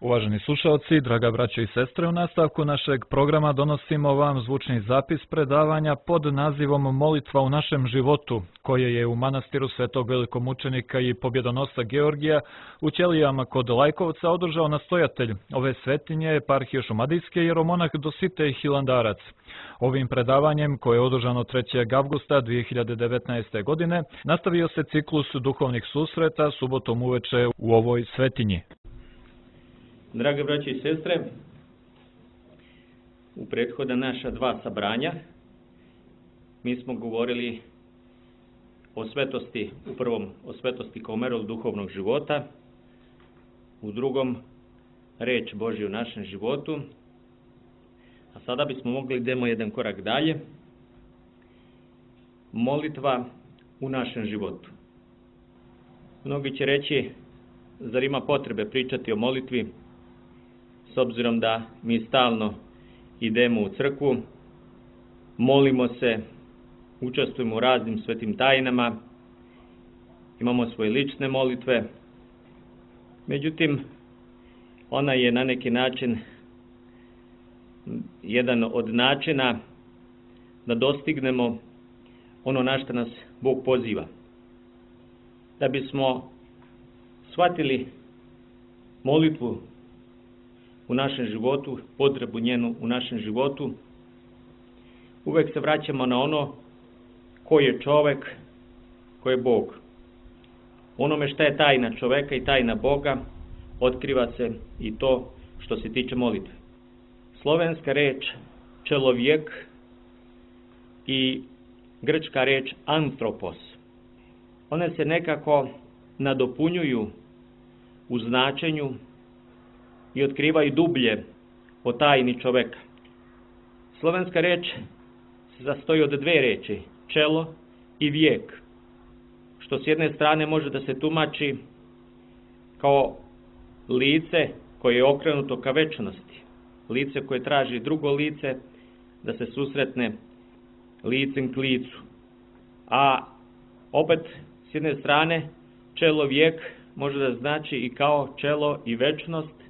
Uvaženi slušalci, draga braćo i sestre, u nastavku našeg programa donosimo vam zvučni zapis predavanja pod nazivom Molitva u našem životu, koje je u manastiru Svetog velikomučenika i pobjedonosca Georgija u Ćelijama kod Lajkovca održao nastojatelj ove svetinje eparhije Šumadijske jeromonah Dositej Hilandarac. Ovim predavanjem, koje je održano 3. avgusta 2019. godine, nastavio se ciklus duhovnih susreta subotom uveče u ovoj svetinji. Drage braće i sestre, u prethodna naša dva sabranja mi smo govorili o svetosti, u prvom o svetosti kao merilo duhovnog života, u drugom reč Božja u našem životu, a sada bismo mogli idemo jedan korak dalje, molitva u našem životu. Mnogi će reći, zar ima potrebe pričati o molitvi, s obzirom da mi stalno idemo u crkvu, molimo se, učestvujemo u raznim svetim tajnama, imamo svoje lične molitve. Međutim, ona je na neki način jedan od načina da dostignemo ono na što nas Bog poziva. Da bismo shvatili molitvu u našem životu, potrebu njenu u našem životu, uvek se vraćamo na ono ko je čovek, ko je Bog. Onome šta je tajna čoveka i tajna Boga, otkriva se i to što se tiče molitve. Slovenska reč čelovjek i grčka reč antropos, one se nekako nadopunjuju u značenju i otkrivaju dublje o tajni čoveka. Slovenska reč se sastoji od dve reči, čelo i vijek, što s jedne strane može da se tumači kao lice koje je okrenuto ka večnosti, lice koje traži drugo lice da se susretne licem k licu. A opet s jedne strane čelo vijek može da znači i kao čelo i večnost,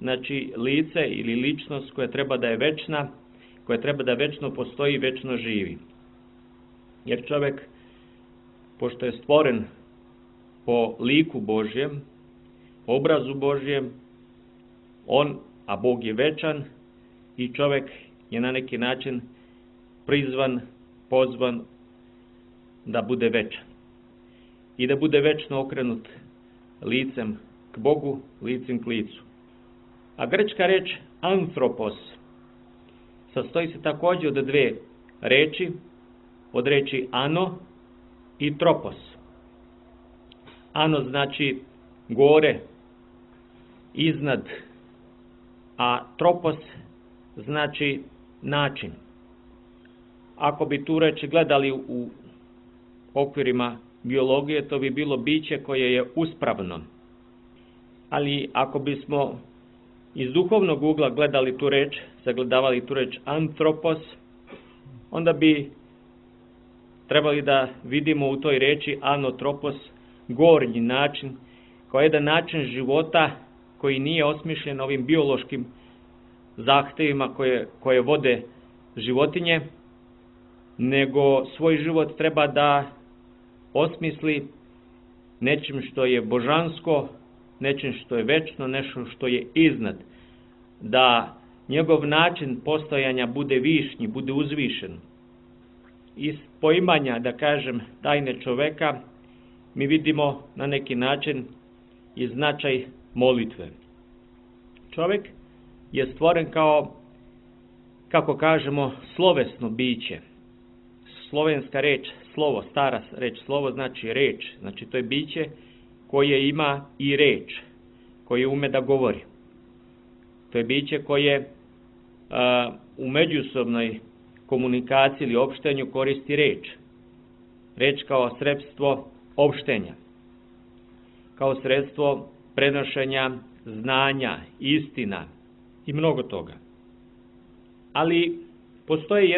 znači lice ili ličnost koja treba da je večna, koja treba da večno postoji i večno živi. Jer čovjek, pošto je stvoren po liku Božjem, po obrazu Božjem, a Bog je večan i čovjek je na neki način prizvan, pozvan da bude večan. I da bude večno okrenut licem k Bogu, licem k licu. A grčka reč antropos sastoji se također od dve reči, od reči ano i tropos. Ano znači gore, iznad, a tropos znači način. Ako bi tu reč gledali u okvirima biologije, to bi bilo biće koje je uspravno. Ali ako bismo iz duhovnog ugla gledali tu reč, sagledavali tu reč antropos, onda bi trebali da vidimo u toj reči anotropos gornji način, kao jedan način života koji nije osmišljen ovim biološkim zahtevima koje vode životinje, nego svoj život treba da osmisli nečim što je božansko, nečim što je večno, nešto što je iznad. Da njegov način postojanja bude višnji, bude uzvišen. Iz poimanja, da kažem, tajne čoveka, mi vidimo na neki način i značaj molitve. Čovek je stvoren kao, kako kažemo, slovesno biće. Slovenska reč, slovo, stara reč, slovo znači reč, znači to je biće koje ima i reč, koje ume da govori. To je biće koje u međusobnoj komunikaciji ili opštenju koristi reč. Reč kao sredstvo opštenja, kao sredstvo prenošenja znanja, istina i mnogo toga. Ali postoji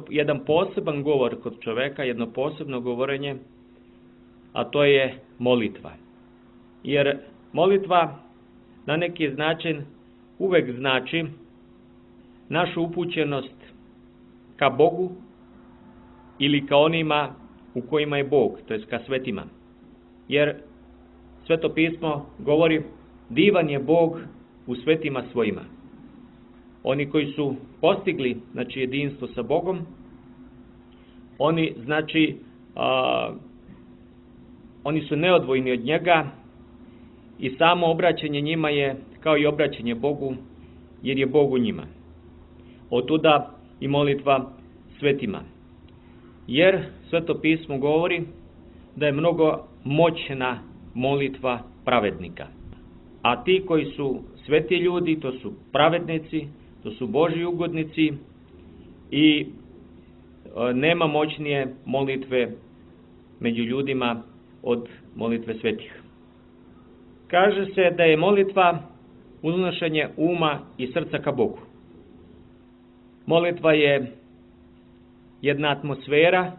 jedan poseban govor kod čoveka, jedno posebno govorenje, a to je molitva. Jer molitva na neki način uvek znači našu upućenost ka Bogu ili ka onima u kojima je Bog, to jest ka svetima. Jer Sveto pismo govori divan je Bog u svetima svojima. Oni koji su postigli jedinstvo sa Bogom, oni oni su neodvojni od njega i samo obraćanje njima je kao i obraćanje Bogu, jer je Bog u njima. Otuda i molitva svetima. Jer Sveto pismo govori da je mnogo moćna molitva pravednika. A ti koji su sveti ljudi, to su pravednici, to su Božji ugodnici i nema moćnije molitve među ljudima od molitve svetih. Kaže se da je molitva uznošenje uma i srca ka Bogu. Molitva je jedna atmosfera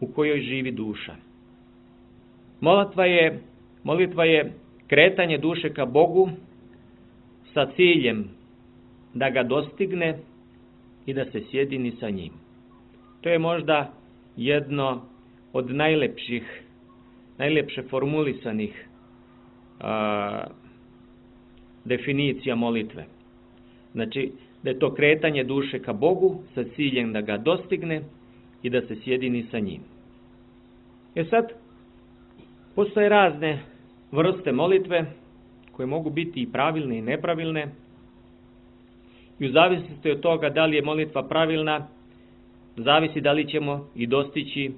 u kojoj živi duša. Molitva je kretanje duše ka Bogu sa ciljem da ga dostigne i da se sjedini sa njim. To je možda jedno od najlepše formulisanih definicija molitve. Znači, da je to kretanje duše ka Bogu sa ciljem da ga dostigne i da se sjedini sa njim. Sad, postoje razne vrste molitve koje mogu biti i pravilne i nepravilne i u zavisnosti od toga da li je molitva pravilna, zavisi da li ćemo i dostići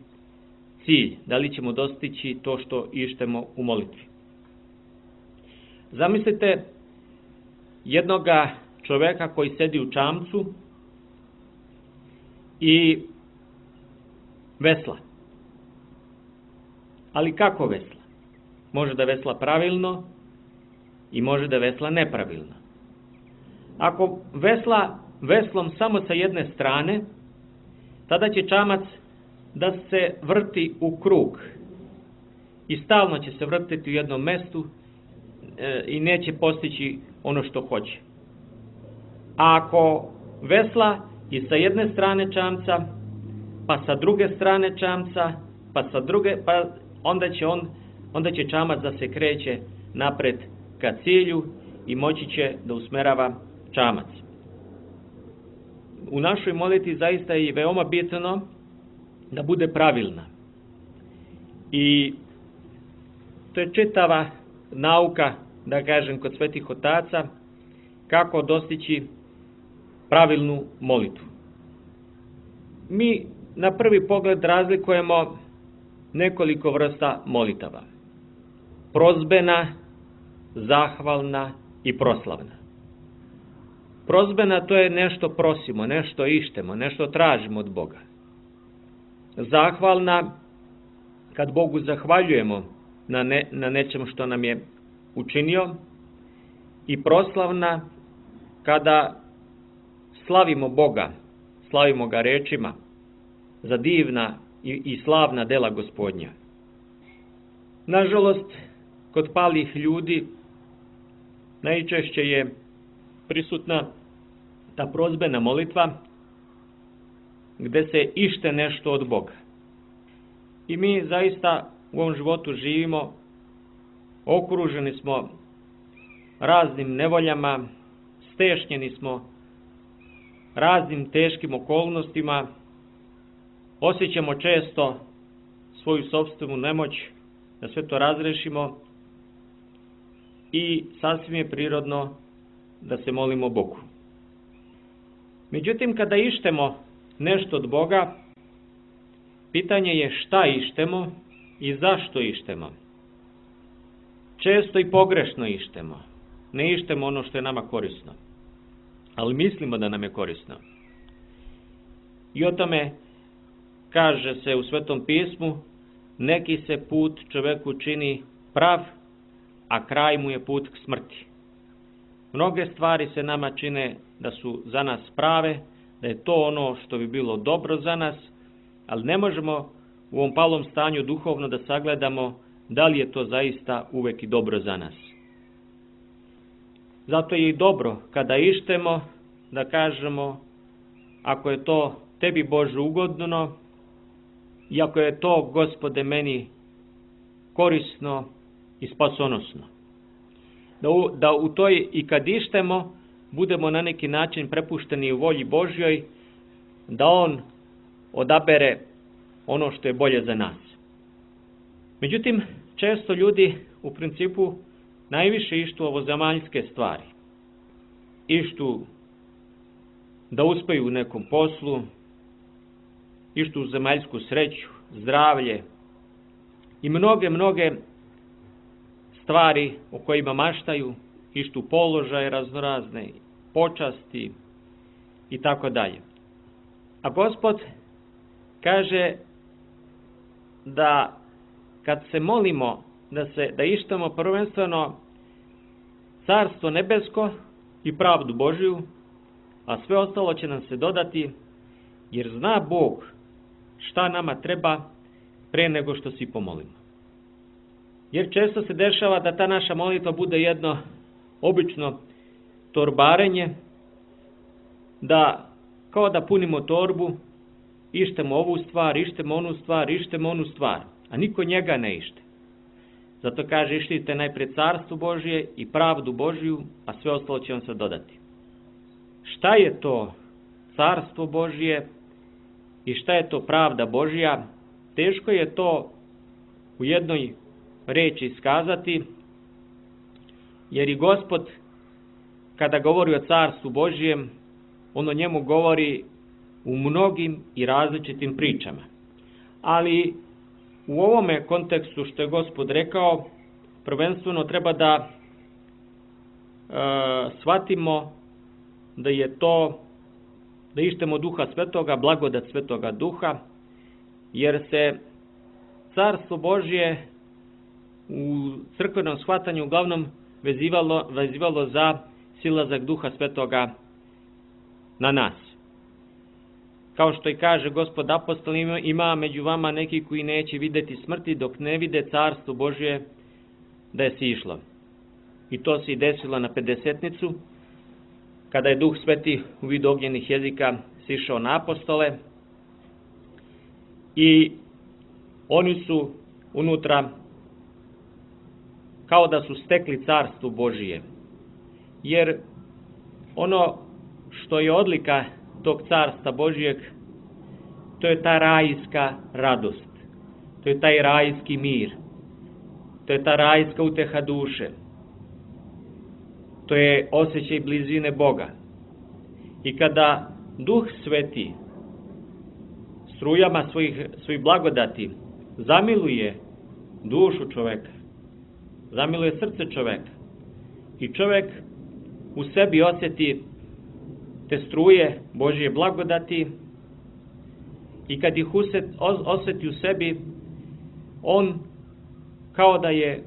cilj, da li ćemo dostići to što ištemo u molitvi. Zamislite jednoga čoveka koji sedi u čamcu i vesla. Ali kako vesla? Može da vesla pravilno i može da vesla nepravilno. Ako vesla veslom samo sa jedne strane, tada će čamac da se vrti u krug i stalno će se vrtiti u jednom mestu i neće postići ono što hoće. A ako vesla i sa jedne strane čamca, pa sa druge strane čamca, pa sa druge, pa onda će čamac da se kreće napred ka cilju i moći će da usmerava čamac. U našoj molitvi zaista je veoma bitno da bude pravilna. I to je čitava nauka, da kažem, kod svetih otaca, kako dostići pravilnu molitvu. Mi na prvi pogled razlikujemo nekoliko vrsta molitava. Prozbena, zahvalna i proslavna. Prozbena, to je nešto prosimo, nešto ištemo, nešto tražimo od Boga. Zahvalna, kad Bogu zahvaljujemo na nečemu što nam je učinio. I proslavna, kada slavimo Boga, slavimo ga rečima za divna i slavna dela Gospodnja. Nažalost, kod palih ljudi najčešće je prisutna ta prozbena molitva gde se ište nešto od Boga. I mi zaista u ovom životu živimo, okruženi smo raznim nevoljama, stešnjeni smo raznim teškim okolnostima, osjećamo često svoju sopstvenu nemoć da sve to razrešimo i sasvim je prirodno da se molimo Bogu. Međutim, kada ištemo nešto od Boga, pitanje je šta ištemo i zašto ištemo. Često i pogrešno ištemo. Ne ištemo ono što je nama korisno, ali mislimo da nam je korisno. I o tome kaže se u Svetom pismu, neki se put čoveku čini prav, a kraj mu je put k smrti. Mnoge stvari se nama čine da su za nas prave, da je to ono što bi bilo dobro za nas, ali ne možemo u ovom palom stanju duhovno da sagledamo da li je to zaista uvek i dobro za nas. Zato je i dobro kada ištemo da kažemo ako je to tebi Bože ugodno i ako je to, Gospode, meni korisno i spasonosno. Da u toj i kad ištemo budemo na neki način prepušteni u volji Božjoj, da On odabere ono što je bolje za nas. Međutim, često ljudi u principu najviše ištu ovozemaljske stvari. Ištu da uspeju u nekom poslu, ištu u zemaljsku sreću, zdravlje i mnoge stvari o kojima maštaju, ištu položaje raznorazne, počasti i tako dalje. A Gospod kaže da kad se molimo da ištemo prvenstveno Carstvo nebesko i pravdu Božju, a sve ostalo će nam se dodati, jer zna Bog šta nama treba pre nego što se pomolimo. Jer često se dešava da ta naša molitva bude jedno obično torbarenje, da kao da punimo torbu, ištemo ovu stvar, ištemo onu stvar, a niko njega ne ište. Zato kaže, ištite najpre Carstvo Božje i pravdu Božju, a sve ostalo će vam se dodati. Šta je to Carstvo Božje i šta je to pravda Božja? Teško je to u jednoj reči iskazati, jer i Gospod, kada govori o Carstvu Božjem, on o njemu govori u mnogim i različitim pričama. Ali u ovome kontekstu što je Gospod rekao, prvenstveno treba da shvatimo da je to, da ištemo Duha Svetoga, blagodat Svetoga Duha, jer se Carstvo Božje u crkvenom shvatanju uglavnom vezivalo za silazak Duha Svetoga na nas. Kao što i kaže Gospod apostol, ima među vama neki koji neće vidjeti smrti dok ne vide Carstvo Božje da je sišlo. I to se i desilo na Pedesetnicu, kada je Duh Sveti u vidu ognjenih jezika sišao na apostole i oni su unutra kao da su stekli Carstvo Božije. Jer ono što je odlika tog Carstva Božijeg, to je ta rajska radost, to je taj rajski mir, to je ta rajska uteha duše, to je osjećaj blizine Boga. I kada Duh Sveti strujama svojih blagodati zamiluje dušu čoveka, zamiluje srce čoveka i čovek u sebi osjeti te struje Božje blagodati i kad ih osjeti u sebi, on kao da je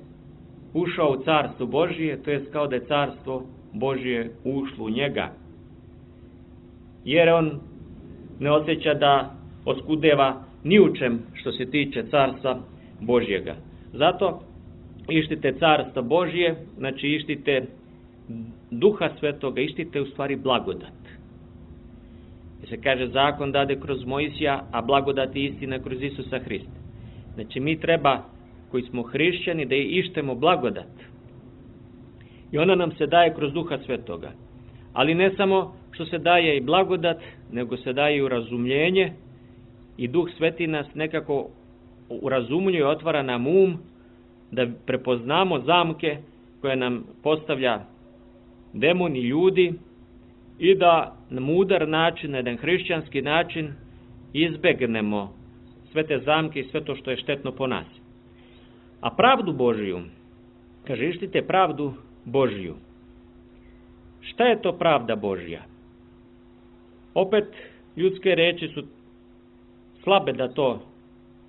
ušao u Carstvo Božje, to jest kao da je Carstvo Božje ušlo u njega. Jer on ne osjeća da oskudeva ni u čem što se tiče Carstva Božjega. Zato ištite Carstva Božje, znači ištite Duha Svetoga, ištite u stvari blagodat. Jer se kaže, zakon dade kroz Mojsija, a blagodat i istina kroz Isusa Hrista. Znači mi treba, koji smo hrišćani, da ištemo blagodat. I ona nam se daje kroz Duha Svetoga. Ali ne samo što se daje i blagodat, nego se daje i urazumljenje i Duh Sveti nas nekako urazumljuje i otvara nam da prepoznamo zamke koje nam postavlja demoni, ljudi, i da na mudar način, na jedan hrišćanski način izbegnemo sve te zamke i sve to što je štetno po nas. A pravdu Božiju, kaže, ištite pravdu Božiju. Šta je to pravda Božja? Opet, ljudske reči su slabe da to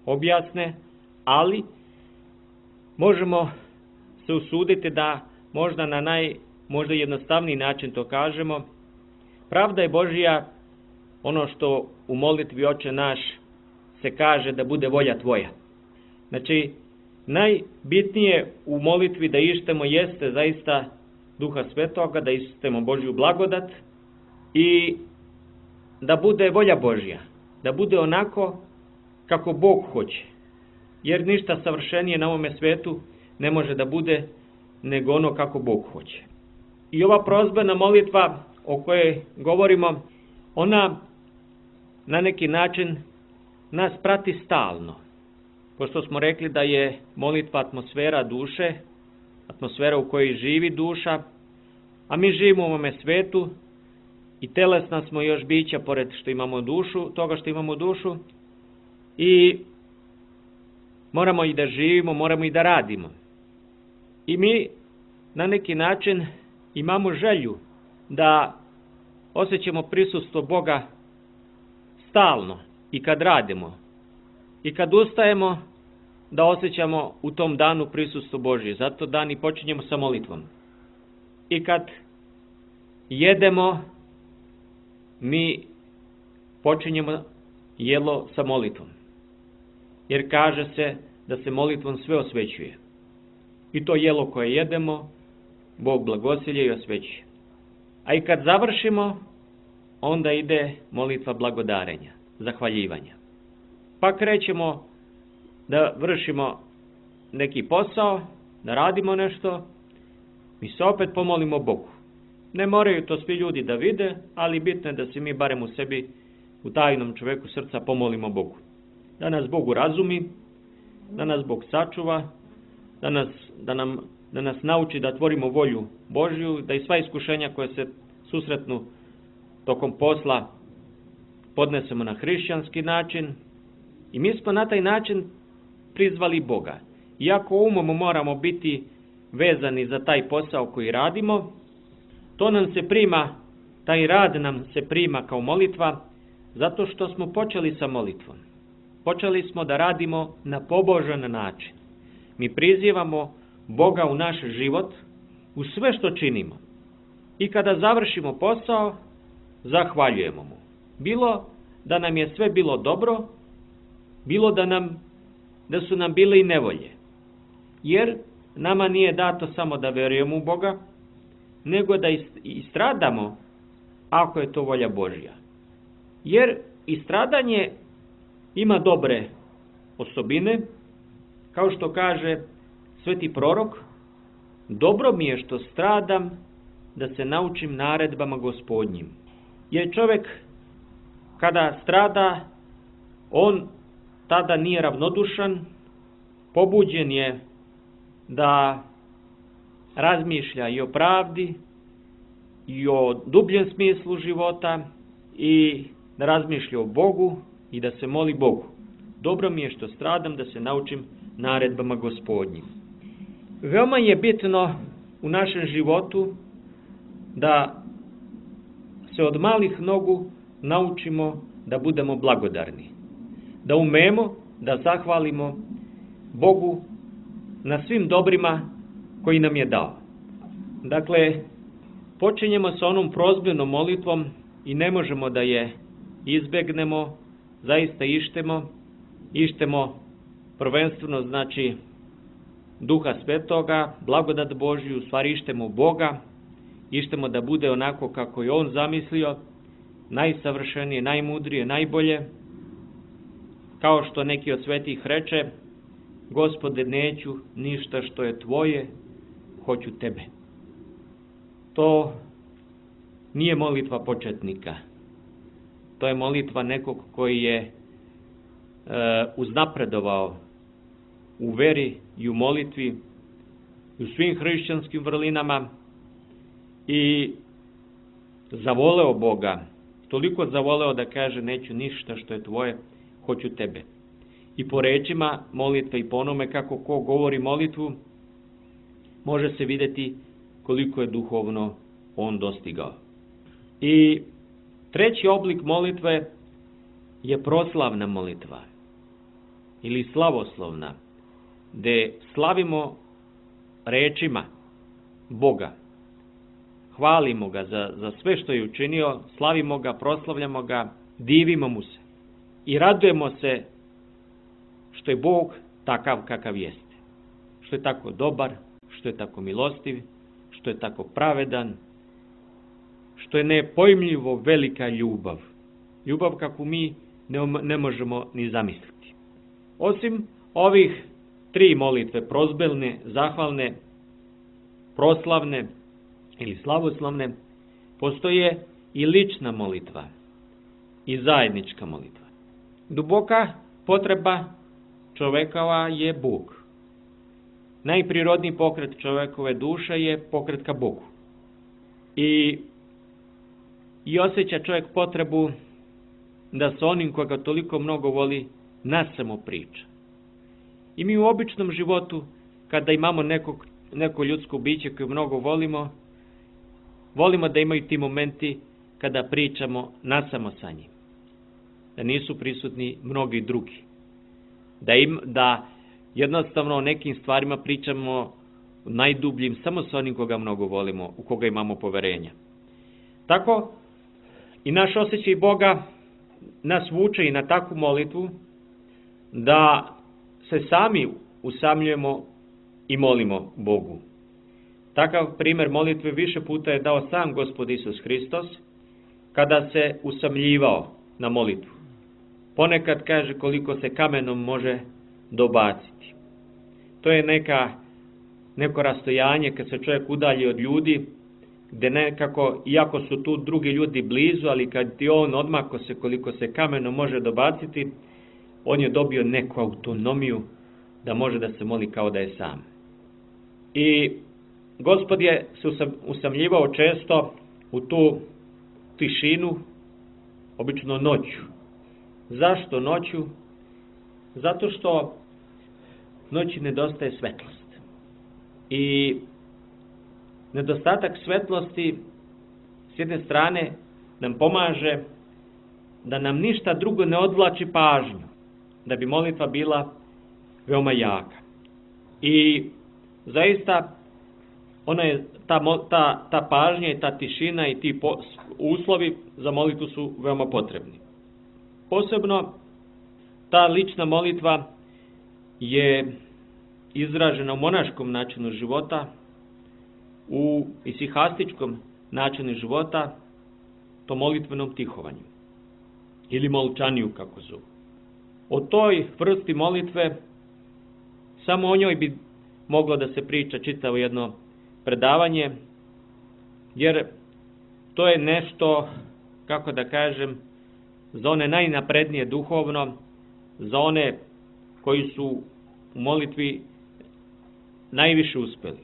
objasne, ali možemo se usuditi da možda na možda jednostavniji način to kažemo. Pravda je Božja ono što u molitvi Oče naš se kaže da bude volja tvoja. Znači, najbitnije u molitvi da ištemo jeste zaista Duha Svetoga, da istemo Božju blagodat i da bude volja Božja, da bude onako kako Bog hoće. Jer ništa savršenije na ovome svetu ne može da bude nego ono kako Bog hoće. I ova prozbena molitva o kojoj govorimo, ona na neki način nas prati stalno. Pošto smo rekli da je molitva atmosfera duše, atmosfera u kojoj živi duša, a mi živimo u ovome svetu i telesna smo još bića pored što imamo dušu, toga što imamo dušu, i moramo i da živimo, moramo i da radimo. I mi na neki način imamo želju da osjećamo prisustvo Boga stalno i kad radimo. I kad ustajemo, da osjećamo u tom danu prisustvo Božje. Zato dan i počinjemo sa molitvom. I kad jedemo, mi počinjemo jelo sa molitvom. Jer kaže se da se molitvom sve osvećuje. I to jelo koje jedemo, Bog blagosilje i osvećuje. A i kad završimo, onda ide molitva blagodarenja, zahvaljivanja. Pa krećemo da vršimo neki posao, da radimo nešto, mi se opet pomolimo Bogu. Ne moraju to svi ljudi da vide, ali bitno je da se mi barem u sebi, u tajnom čoveku srca, pomolimo Bogu. Da nas Bog razumi, da nas Bog sačuva, da nas nauči da tvorimo volju Božju, da i sva iskušenja koje se susretnu tokom posla podnesemo na hrišćanski način. I mi smo na taj način prizvali Boga. Iako umom moramo biti vezani za taj posao koji radimo, to nam se prima, taj rad nam se prima kao molitva, zato što smo počeli sa molitvom. Počeli smo da radimo na pobožan način. Mi prizivamo Boga u naš život, u sve što činimo. I kada završimo posao, zahvaljujemo mu. Bilo da nam je sve bilo dobro, bilo da su nam bile i nevolje. Jer nama nije dato samo da verujemo u Boga, nego da i stradamo ako je to volja Božja. Jer i stradanje ima dobre osobine, kao što kaže sveti prorok, dobro mi je što stradam da se naučim naredbama Gospodnjim. Jer čovjek kada strada, on tada nije ravnodušan, pobuđen je da razmišlja i o pravdi, i o dubljem smislu života, i da razmišlja o Bogu i da se moli Bogu. Dobro mi je što stradam da se naučim naredbama Gospodnjim. Veoma je bitno u našem životu da se od malih nogu naučimo da budemo blagodarni. Da umemo da zahvalimo Bogu na svim dobrima koji nam je dao. Dakle, počinjemo sa onom prozbenom molitvom i ne možemo da je izbegnemo, zaista ištemo prvenstveno, znači, Duha Svetoga, blagodat Božju, u stvari ištemo Boga, ištemo da bude onako kako je On zamislio, najsavršenije, najmudrije, najbolje, kao što neki od svetih reče, Gospode, neću ništa što je tvoje, hoću tebe. To nije molitva početnika. To je molitva nekog koji je uznapredovao u veri i u molitvi, u svim hrišćanskim vrlinama i zavoleo Boga. Toliko zavoleo da kaže, neću ništa što je tvoje, hoću tebe. I po rečima molitve i po onome kako ko govori molitvu, može se vidjeti koliko je duhovno on dostigao. I treći oblik molitve je proslavna molitva ili slavoslovna, gde slavimo rečima Boga. Hvalimo ga za sve što je učinio, slavimo ga, proslavljamo ga, divimo mu se i radujemo se što je Bog takav kakav jeste. Što je tako dobar, što je tako milostiv, što je tako pravedan, što je nepojmljivo velika ljubav. Ljubav kakvu mi ne možemo ni zamisliti. Osim ovih 3 molitve, prozbelne, zahvalne, proslavne ili slavoslavne, postoje i lična molitva i zajednička molitva. Duboka potreba čovekova je Bog. Najprirodniji pokret čovekove duše je pokret ka Bogu. I osjeća čovjek potrebu da sa onim koga toliko mnogo voli nasamo priča. I mi u običnom životu, kada imamo neko ljudsko biće koje mnogo volimo da imaju ti momenti kada pričamo nasamo sa njim. Da nisu prisutni mnogi drugi. Da jednostavno o nekim stvarima pričamo najdubljim samo sa onim koga mnogo volimo, u koga imamo poverenja. Tako i naš osjećaj Boga nas vuče i na takvu molitvu da se sami usamljujemo i molimo Bogu. Takav primjer molitve više puta je dao sam Gospod Isus Hristos kada se usamljivao na molitvu. Ponekad kaže koliko se kamenom može dobaciti. To je neko rastojanje kad se čovjek udalji od ljudi, gdje nekako, iako su tu drugi ljudi blizu, ali kad ti on odmako se koliko se kamenom može dobaciti, on je dobio neku autonomiju da može da se moli kao da je sam. I Gospod je se usamljivao često u tu tišinu, obično noću. Zašto noću? Zato što noći nedostaje svetlost. I nedostatak svetlosti s jedne strane nam pomaže da nam ništa drugo ne odvlači pažnju, da bi molitva bila veoma jaka. I zaista ona je ta pažnja i ta tišina i ti uslovi za molitvu su veoma potrebni. Posebno ta lična molitva je izražena u monaškom načinu života, u isihastičkom načinu života, to molitvenom tihovanju ili molčaniju kako zovu. O toj vrsti molitve samo o njoj bi moglo da se priča čitavo jedno predavanje, jer to je nešto, kako da kažem, za one najnaprednije duhovno, za one koji su u molitvi najviše uspeli.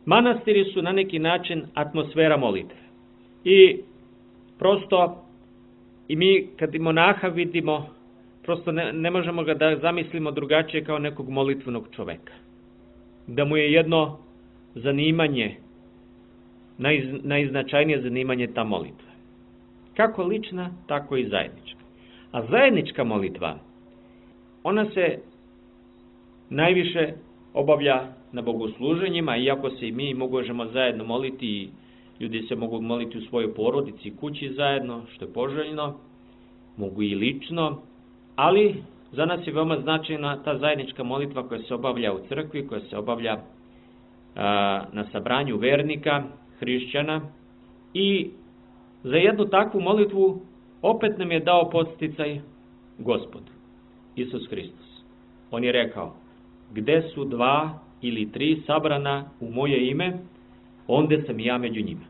Manastiri su na neki način atmosfera molitve. I prosto i mi kad i monaha vidimo, prosto ne možemo ga da zamislimo drugačije kao nekog molitvenog čoveka. Da mu je jedno zanimanje, najznačajnije zanimanje ta molitva. Kako lična, tako i zajednička. A zajednička molitva, ona se najviše obavlja na bogosluženjima, iako se i mi možemo zajedno moliti i ljudi se mogu moliti u svojoj porodici i kući zajedno, što je poželjno, mogu i lično, ali za nas je veoma značajna ta zajednička molitva koja se obavlja u crkvi, koja se obavlja na sabranju vernika, hrišćana, i za jednu takvu molitvu opet nam je dao podsticaj Gospod, Isus Hristos. On je rekao, gde su 2 ili 3 sabrana u moje ime, onda sam ja među njima.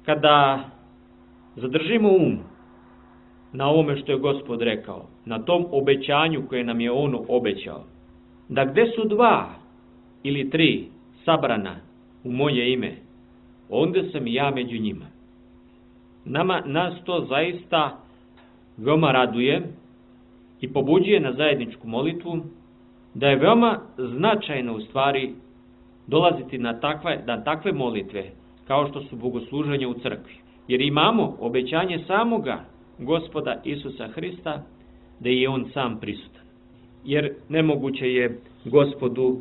Kada zadržimo na ovome što je Gospod rekao, na tom obećanju koje nam je on obećao, da gde su 2 ili 3 sabrana u moje ime, onda sam ja među njima. Nas to zaista veoma raduje i pobuđuje na zajedničku molitvu, da je veoma značajno u stvari dolaziti na takve molitve kao što su bogosluženja u crkvi. Jer imamo obećanje samoga Gospoda Isusa Hrista da je on sam prisutan. Jer nemoguće je Gospodu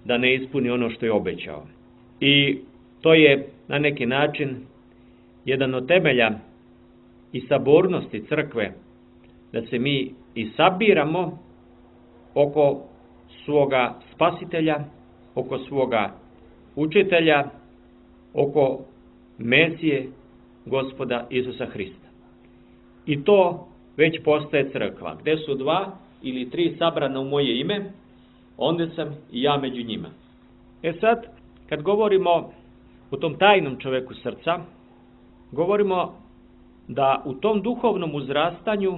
da ne ispuni ono što je obećao. I to je na neki način jedan od temelja i sabornosti crkve, da se mi i sabiramo oko svoga spasitelja, oko svoga učitelja oko Mesije Gospoda Isusa Hrista. I to već postaje crkva. Gde su 2 ili 3 sabrana u moje ime, onda sam i ja među njima. Sad, kad govorimo o tom tajnom čoveku srca, govorimo da u tom duhovnom uzrastanju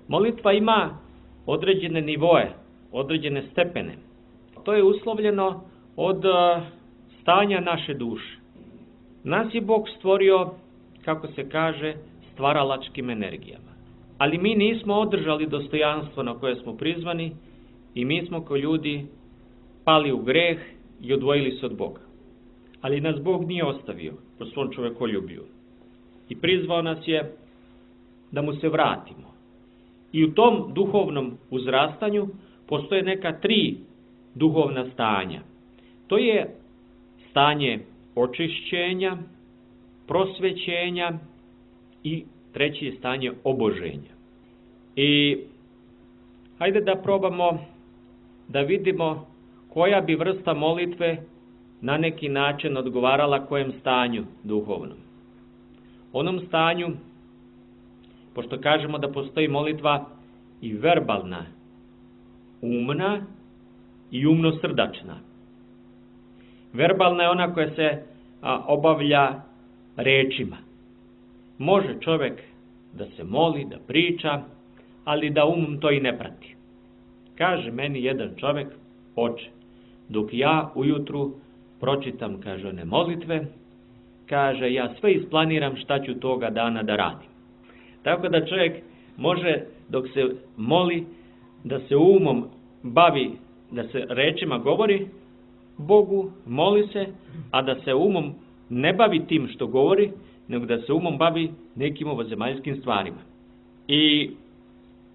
molitva ima određene nivoe, određene stepene. To je uslovljeno od stanja naše duše. Nas je Bog stvorio, kako se kaže, stvaralačkim energijama. Ali mi nismo održali dostojanstvo na koje smo prizvani i mi smo kao ljudi pali u greh i odvojili se od Boga. Ali nas Bog nije ostavio po svom čovekoljubiju. I prizvao nas je da mu se vratimo. I u tom duhovnom uzrastanju postoje neka 3 duhovna stanja. To je stanje očišćenja, prosvećenja i 3. je stanje oboženja. I hajde da probamo da vidimo koja bi vrsta molitve na neki način odgovarala kojem stanju duhovnom. Onom stanju, pošto kažemo da postoji molitva i verbalna, umna i umno-srdačna. Verbalna je ona koja se obavlja rečima. Može čovjek da se moli, da priča, ali da to i ne prati. Kaže meni jedan čovjek, oče, dok ja ujutru pročitam, kaže, one molitve, kaže, ja sve isplaniram šta ću toga dana da radim. Tako da čovjek može, dok se moli, da se umom bavi, da se rečima govori Bogu, moli se, a da se umom ne bavi tim što govori, nego da se umom bavi nekim ovozemaljskim stvarima. I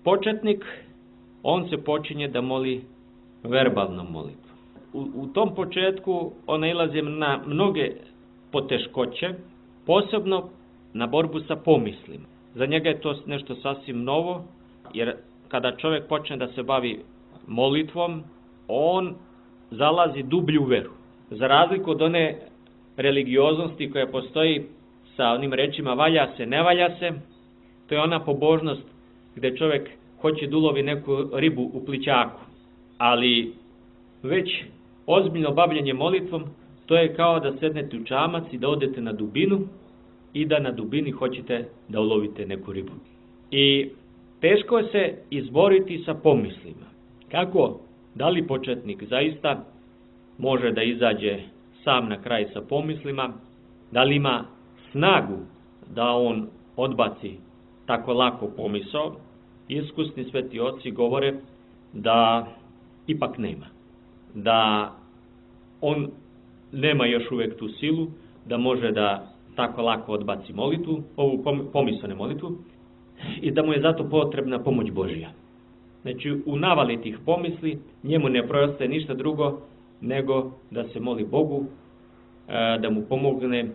početnik, on se počinje da moli verbalnom molitvom. U tom početku on nailazi na mnoge poteškoće, posebno na borbu sa pomislima. Za njega je to nešto sasvim novo, jer kada čovjek počne da se bavi molitvom, on zalazi dublju veru. Za razliku od one religioznosti koja postoji sa onim rečima valja se, ne valja se, to je ona pobožnost gdje čovjek hoće da ulovi neku ribu u plićaku. Ali već ozbiljno bavljenje molitvom, to je kao da sednete u čamac i da odete na dubinu i da na dubini hoćete da ulovite neku ribu. I teško je se izboriti sa pomislima. Kako? Da li početnik zaista može da izađe sam na kraj sa pomislima? Da li ima snagu da on odbaci tako lako pomisao? Iskusni sveti oci govore da ipak nema. Da on nema još uvijek tu silu da može da tako lako odbaci molitvu, ovu pomislenu molitvu, i da mu je zato potrebna pomoć Božja. Znači, u navali tih pomisli njemu ne preostaje ništa drugo nego da se moli Bogu, da mu pomogne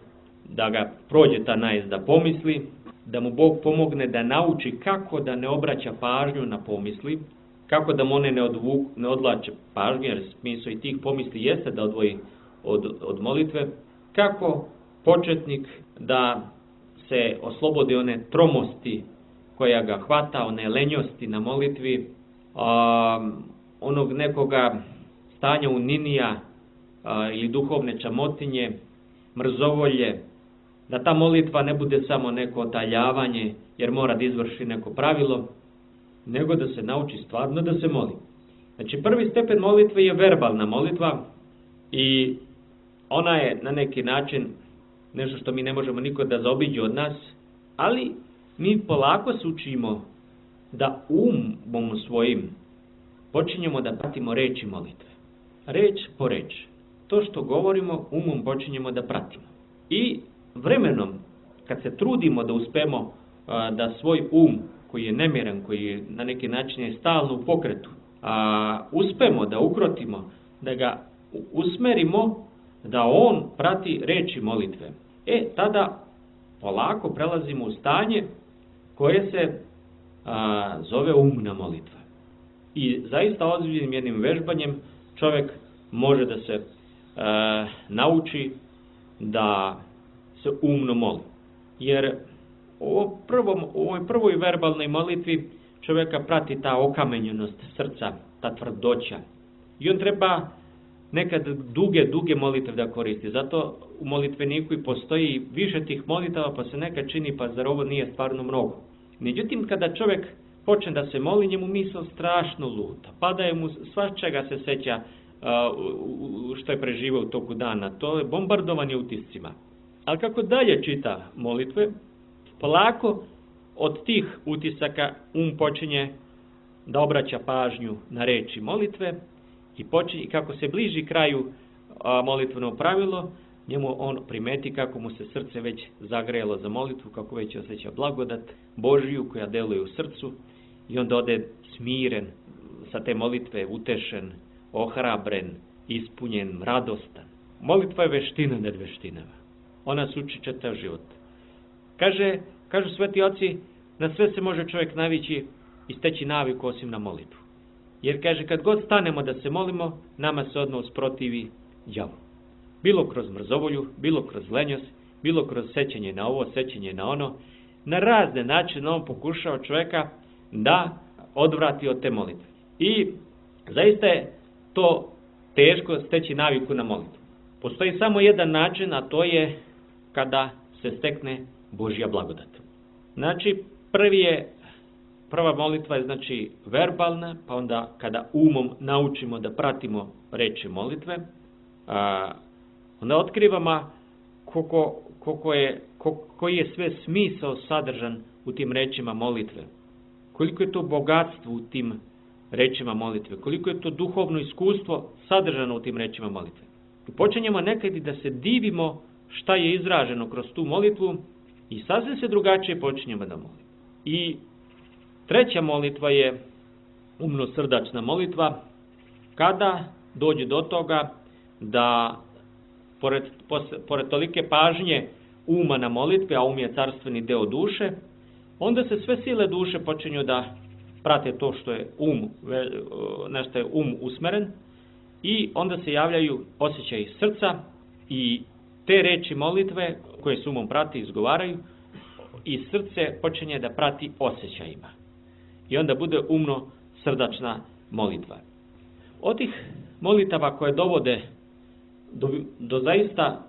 da ga prođe ta najezda pomisli, da mu Bog pomogne da nauči kako da ne obraća pažnju na pomisli, kako da mu one ne odvlače pažnju, jer smisao i tih pomisli jeste da odvoji od molitve, kako početnik da se oslobodi one tromosti koja ga hvata, one lenjosti na molitvi, onog nekoga stanja uninija ili duhovne čamotinje, mrzovolje, da ta molitva ne bude samo neko otaljavanje jer mora da izvrši neko pravilo, nego da se nauči stvarno da se moli. Znači, prvi stepen molitve je verbalna molitva i ona je na neki način nešto što mi ne možemo niko da zaobiđe od nas, ali mi polako se učimo da umom svojim počinjemo da pratimo reči molitve. Reč po reč. To što govorimo, umom počinjemo da pratimo. I vremenom, kad se trudimo da uspemo da svoj koji je nemiran, koji je na neki način je stalno u pokretu, uspemo da ukrotimo, da ga usmerimo, da on prati reči molitve. Tada polako prelazimo u stanje koje se zove umna molitva. I zaista ozbiljnim jednim vežbanjem čovjek može da se nauči da se umno moli. Jer u ovoj prvoj verbalnoj molitvi čovjeka prati ta okamenjenost srca, ta tvrdoća. I on treba nekad duge molitve da koristi. Zato u molitveniku i postoji više tih molitava, pa se nekad čini, pa zar ovo nije stvarno mnogo. Međutim, kada čovjek počne da se moli, njemu misao strašno luta. Pada mu svačega se seća što je preživao u toku dana. To je bombardovanje utiscima. Ali kako dalje čita molitve, polako od tih utisaka počinje da obraća pažnju na reči molitve i kako se bliži kraju molitveno pravilo, njemu on primeti kako mu se srce već zagrejalo za molitvu, kako već osjeća blagodat Božiju koja deluje u srcu i onda ode smiren sa te molitve, utešen, ohrabren, ispunjen, radostan. Molitva je veština nad veštinama. Ona se uči čitav život. Kažu sveti oci, na sve se može čovjek navići i steći naviku osim na molitvu. Jer kaže, kad god stanemo da se molimo, nama se odmah usprotivi đavo. Bilo kroz mrzovolju, bilo kroz lenjost, bilo kroz sećanje na ovo, sećanje na ono. Na razne načine on pokušao čovjeka da odvrati od te molitve. I zaista je to teško steći naviku na molitvu. Postoji samo jedan način, a to je kada se stekne Božja blagodat. Znači, prva molitva je znači verbalna, pa onda kada umom naučimo da pratimo reči molitve, onda otkrivamo koji je sve smisao sadržan u tim rečima molitve. Koliko je to bogatstvo u tim rečima molitve, koliko je to duhovno iskustvo sadržano u tim rečima molitve. I počinjemo nekad i da se divimo šta je izraženo kroz tu molitvu i sasvim se drugačije počinjemo da molimo. I treća molitva je umno-srdačna molitva, kada dođe do toga da pored tolike pažnje uma na molitve, a um je carstveni deo duše, onda se sve sile duše počinju da prate to što je na što je usmeren i onda se javljaju osjećaji srca i te reči molitve koje se umom prati i izgovaraju i srce počinje da prati osjećajima. I onda bude umno-srdačna molitva. Od tih molitava koje dovode do zaista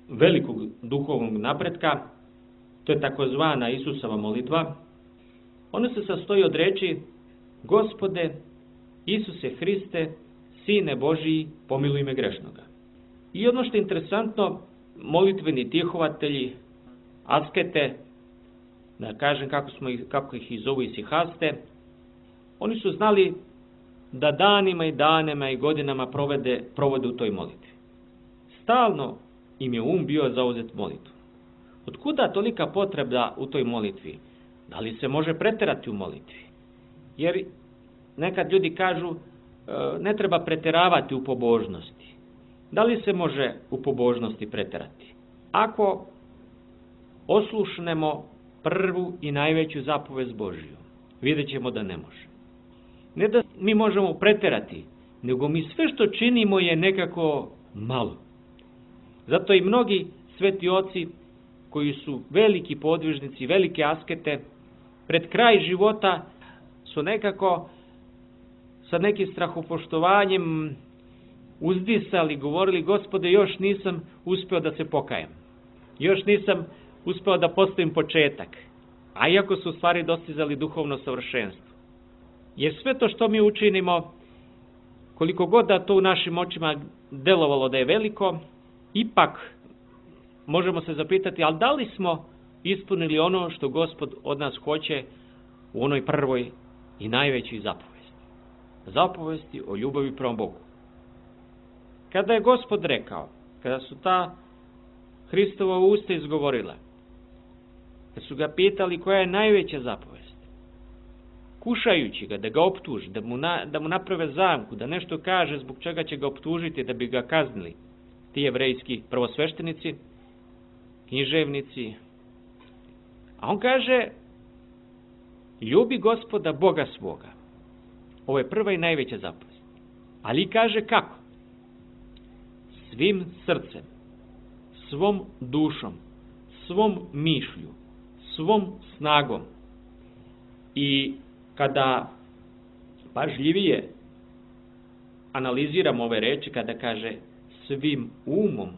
velikog duhovnog napretka, to je takozvana Isusova molitva. Ona se sastoji od reči: Gospode, Isuse Hriste, Sine Božiji, pomiluj me grešnoga. I ono što je interesantno, molitveni tihovatelji, askete, da kažem kako ih i zovu isihaste, oni su znali da danima i godinama provode u toj molitvi. Stalno im je bio zauzet molitvu. Otkuda tolika potreba u toj molitvi? Da li se može preterati u molitvi? Jer nekad ljudi kažu ne treba preteravati u pobožnosti. Da li se može u pobožnosti preterati? Ako oslušnemo prvu i najveću zapovest Božju, vidjet ćemo da ne može. Ne da mi možemo preterati, nego mi sve što činimo je nekako malo. Zato i mnogi sveti oci koji su veliki podvižnici, velike askete, pred kraj života su nekako sa nekim strahopoštovanjem uzdisali, govorili: Gospode, još nisam uspeo da se pokajem. Još nisam uspeo da postavim početak. A iako su u stvari dostizali duhovno savršenstvo. Jer sve to što mi učinimo, koliko god da to u našim očima delovalo da je veliko, ipak možemo se zapitati, ali da li smo ispunili ono što Gospod od nas hoće u onoj prvoj i najvećoj zapovesti? Zapovesti o ljubavi prema Bogu. Kada je Gospod rekao, kada su ta Hristova usta izgovorila, kad su ga pitali koja je najveća zapovest, kušajući ga da ga optuži, da mu naprave zamku, da nešto kaže zbog čega će ga optužiti da bi ga kaznili, ti jevrejski prvosveštenici, književnici. A on kaže: ljubi Gospoda Boga svoga. Ovo je prva i najveća zapovest. Ali kaže kako? Svim srcem, svom dušom, svom mišlju, svom snagom. I kada pažljivije analiziramo ove reči, kada kaže svim umom,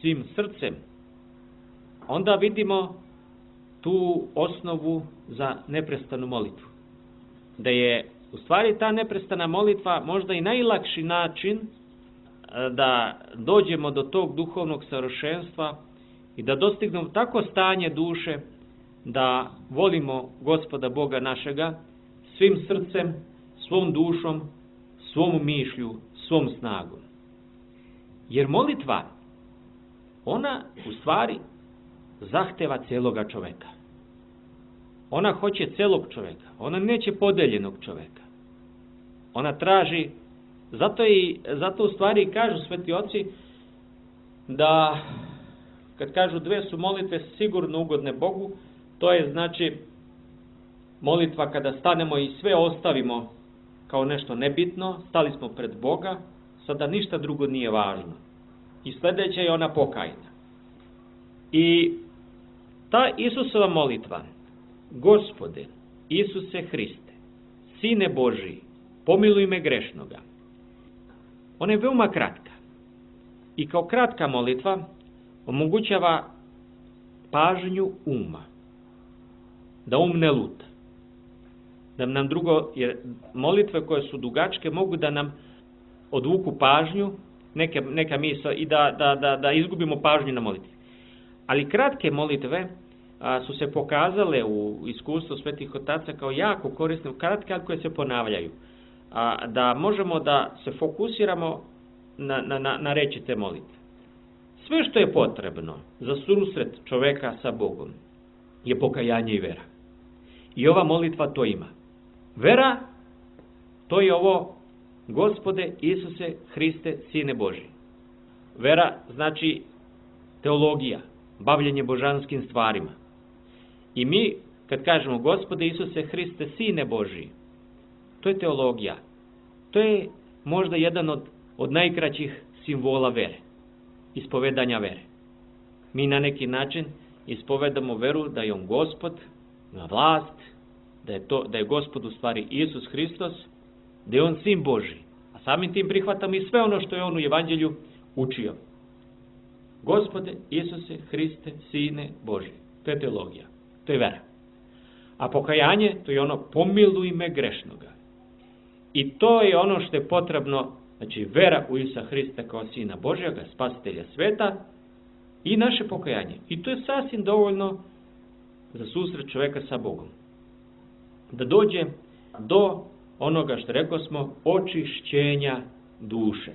svim srcem, onda vidimo tu osnovu za neprestanu molitvu. Da je u stvari ta neprestana molitva možda i najlakši način da dođemo do tog duhovnog savršenstva i da dostignemo tako stanje duše da volimo Gospoda Boga našega svim srcem, svom dušom, svom mišlju, svom snagom. Jer molitva, ona u stvari zahteva celoga čoveka. Ona hoće celog čoveka. Ona neće podeljenog čoveka. Ona traži, zato u stvari kažu sveti oci da kad kažu dve su molitve sigurno ugodne Bogu, to je znači molitva kada stanemo i sve ostavimo kao nešto nebitno, stali smo pred Boga, sada ništa drugo nije važno. I sljedeća je ona pokajna. I ta Isusova molitva, Gospode, Isuse Hriste, Sine Božiji, pomiluj me grešnoga, ona je veoma kratka. I kao kratka molitva omogućava pažnju uma. Da um ne luta. Da nam drugo, jer molitve koje su dugačke mogu da nam odvuku pažnju, neka misla i da izgubimo pažnju na molitvi. Ali kratke molitve su se pokazale u iskustvu svetih otaca kao jako korisne, kratke, ali koje se ponavljaju. Da možemo da se fokusiramo na reči te molitve. Sve što je potrebno za susret čoveka sa Bogom je pokajanje i vera. I ova molitva to ima. Vera, to je ovo Gospode Isuse Hriste, Sine Božji. Vera znači teologija, bavljenje božanskim stvarima. I mi, kad kažemo Gospode Isuse Hriste, Sine Božji, to je teologija. To je možda jedan od najkraćih simbola vere, ispovedanja vere. Mi na neki način ispovedamo veru da je on Gospod, na vlast, da je Gospod u stvari Isus Hristos, da je on Sin Božji. A samim tim prihvatamo i sve ono što je on u Evanđelju učio. Gospode Isuse Hriste, Sine Božji. To je teologija, to je vera. A pokajanje, to je ono pomiluj me grešnoga. I to je ono što je potrebno, znači vera u Isusa Hrista kao Sina Božjega, Spasitelja sveta i naše pokajanje. I to je sasvim dovoljno za susret čoveka sa Bogom. Da dođe do onoga što rekao smo, očišćenja duše.